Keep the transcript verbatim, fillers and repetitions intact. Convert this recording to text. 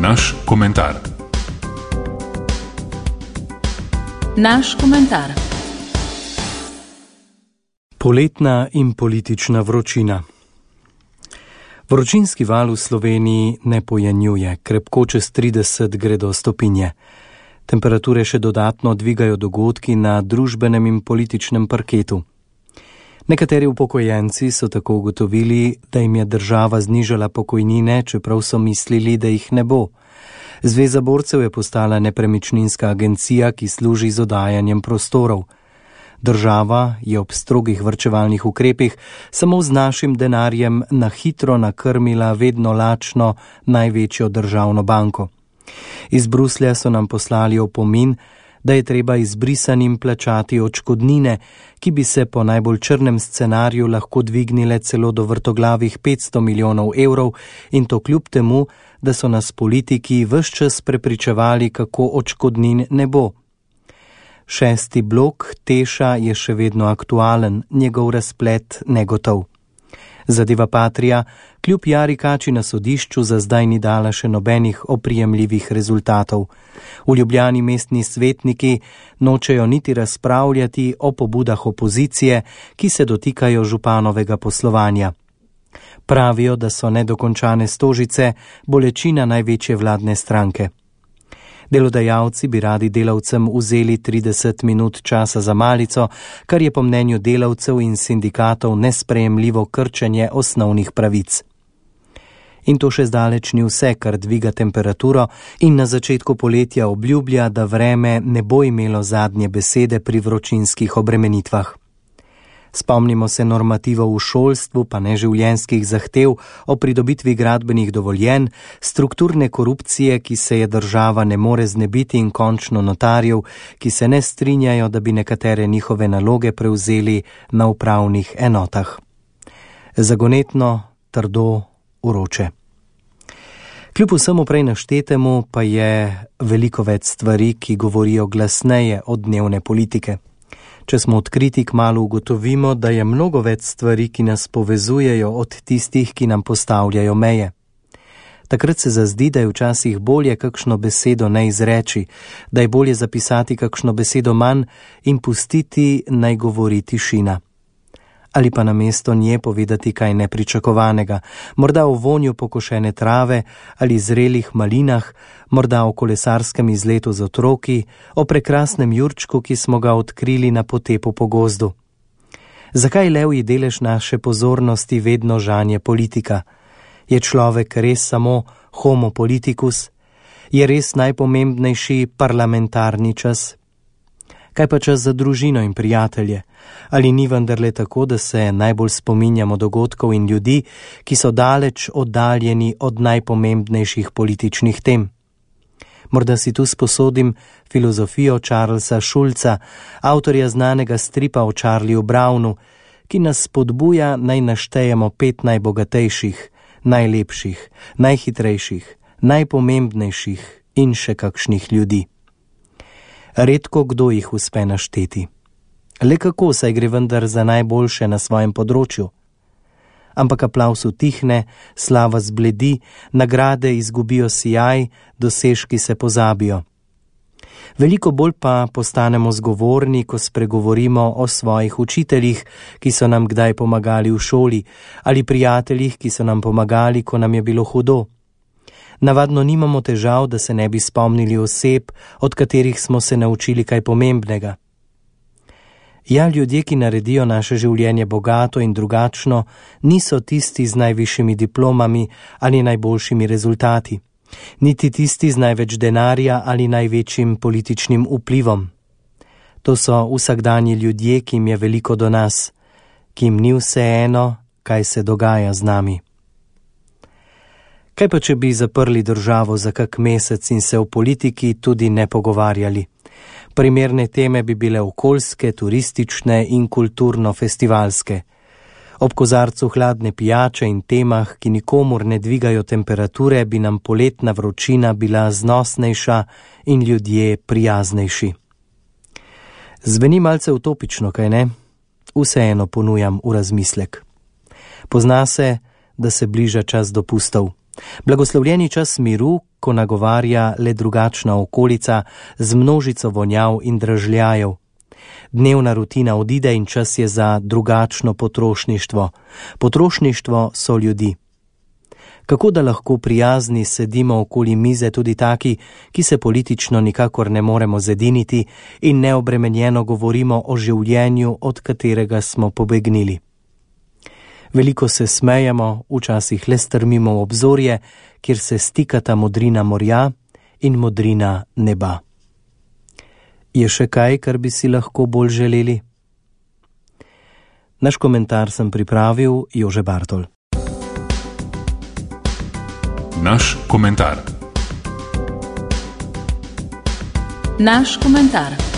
Naš komentar. Naš komentar. Poletna in politična vročina. Vročinski val v Sloveniji ne pojenjuje, krepko čez trideset gre do stopinje. Temperature še dodatno dvigajo dogodki na družbenem in političnem parketu. Nekateri upokojenci so tako ugotovili, da jim je država znižala pokojnine, čeprav so mislili, da jih ne bo. Zveza borcev je postala nepremičninska agencija, ki služi z oddajanjem prostorov. Država je ob strogih varčevalnih ukrepih samo z našim denarjem na hitro nakrmila vedno lačno največjo državno banko. Iz Bruslja so nam poslali opomin, da je treba izbrisanim plačati odškodnine, ki bi se po najbolj črnem scenariju lahko dvignile celo do vrtoglavih petsto milijonov evrov, in to kljub temu, da so nas politiki ves čas prepričevali, kako odškodnin ne bo. Šesti blok Teša je še vedno aktualen, njegov razplet negotov. Zadeva Patria kljub jari kači na sodišču za zdaj ni dala še nobenih oprijemljivih rezultatov. V Ljubljani mestni svetniki nočejo niti razpravljati o pobudah opozicije, ki se dotikajo županovega poslovanja. Pravijo, da so nedokončane Stožice bolečina največje vladne stranke. Delodajalci bi radi delavcem vzeli trideset minut časa za malico, kar je po mnenju delavcev in sindikatov nesprejemljivo krčenje osnovnih pravic. In to še zdaleč ni vse, kar dviga temperaturo in na začetku poletja obljublja, da vreme ne bo imelo zadnje besede pri vročinskih obremenitvah. Spomnimo se normativov v šolstvu, pa neživljenjskih zahtev o pridobitvi gradbenih dovoljenj, strukturne korupcije, ki se je država ne more znebiti, in končno notarjev, ki se ne strinjajo, da bi nekatere njihove naloge prevzeli na upravnih enotah. Zagonetno, trdo, vroče. Kljub vsemu prej naštetemu pa je veliko več stvari, ki govorijo glasneje od dnevne politike. Če smo odkriti, kmalu ugotovimo, da je mnogo več stvari, ki nas povezujejo, od tistih, ki nam postavljajo meje. Takrat se zazdi, da je včasih bolje kakšno besedo ne izreči, da je bolje zapisati kakšno besedo manj in pustiti naj govori tišina. Ali pa namesto nje povedati kaj nepričakovanega, morda o vonju pokošene trave ali zrelih malinah, morda o kolesarskem izletu z otroki, o prekrasnem jurčku, ki smo ga odkrili na potepu po gozdu. Zakaj levji delež naše pozornosti vedno žanje politika? Je človek res samo homo politicus? Je res najpomembnejši parlamentarni čas? Kaj pa čas za družino in prijatelje? Ali ni vendarle tako, da se najbolj spominjamo dogodkov in ljudi, ki so daleč oddaljeni od najpomembnejših političnih tem? Morda si tu sposodim filozofijo Charlesa Schulza, avtorja znanega stripa o Charlieju Brownu, ki nas spodbuja naj naštejemo pet najbogatejših, najlepših, najhitrejših, najpomembnejših in še kakšnih ljudi. Redko kdo jih uspe našteti. Le kako, saj gre vendar za najboljše na svojem področju. Ampak aplavz utihne, slava zbledi, nagrade izgubijo sijaj, dosežki se pozabijo. Veliko bolj pa postanemo zgovorni, ko spregovorimo o svojih učiteljih, ki so nam kdaj pomagali v šoli, ali prijateljih, ki so nam pomagali, ko nam je bilo hudo. Navadno nimamo težav, da se ne bi spomnili oseb, od katerih smo se naučili kaj pomembnega. Ja, ljudje, ki naredijo naše življenje bogato in drugačno, niso tisti z najvišjimi diplomami ali najboljšimi rezultati, niti tisti z največ denarja ali največjim političnim vplivom. To so vsakdanji ljudje, ki jim je veliko do nas, ki jim ni vseeno, kaj se dogaja z nami. Kaj pa, če bi zaprli državo za kak mesec in se v politiki tudi ne pogovarjali? Primerne teme bi bile okoljske, turistične in kulturno-festivalske. Ob kozarcu hladne pijače in temah, ki nikomur ne dvigajo temperature, bi nam poletna vročina bila znosnejša in ljudje prijaznejši. Zveni malce utopično, kaj ne? Vseeno ponujam v razmislek. Pozna se, da se bliža čas dopustov. Blagoslovljeni čas miru, ko nagovarja le drugačna okolica z množico vonjav in dražljajev. Dnevna rutina odide in čas je za drugačno potrošništvo. Potrošništvo so ljudi. Kako da lahko prijazni sedimo okoli mize tudi taki, ki se politično nikakor ne moremo zediniti in neobremenjeno govorimo o življenju, od katerega smo pobegnili. Veliko se smejemo, včasih le strmimo v obzorje, kjer se stikata modrina morja in modrina neba. Je še kaj, kar bi si lahko bolj želeli? Naš komentar sem pripravil Jože Bartol. Naš komentar. Naš komentar.